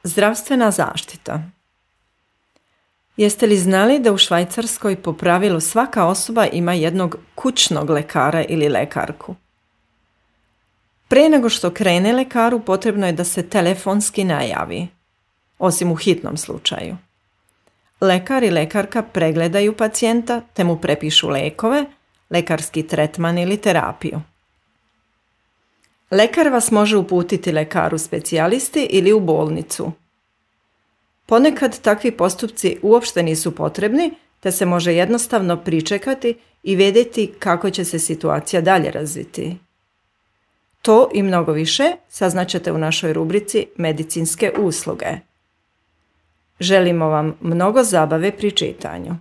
Zdravstvena zaštita. Jeste li znali da u Švajcarskoj po pravilu svaka osoba ima jednog kućnog lekara ili lekarku? Prije nego što krene lekaru, potrebno je da se telefonski najavi, osim u hitnom slučaju. Lekar i lekarka pregledaju pacijenta te mu prepišu lijekove, lekarski tretman ili terapiju. Lekar vas može uputiti lekaru specijalisti ili u bolnicu. Ponekad takvi postupci uopšte nisu potrebni, te se može jednostavno pričekati i vidjeti kako će se situacija dalje razviti. To i mnogo više saznaćete u našoj rubrici Medicinske usluge. Želimo vam mnogo zabave pri čitanju.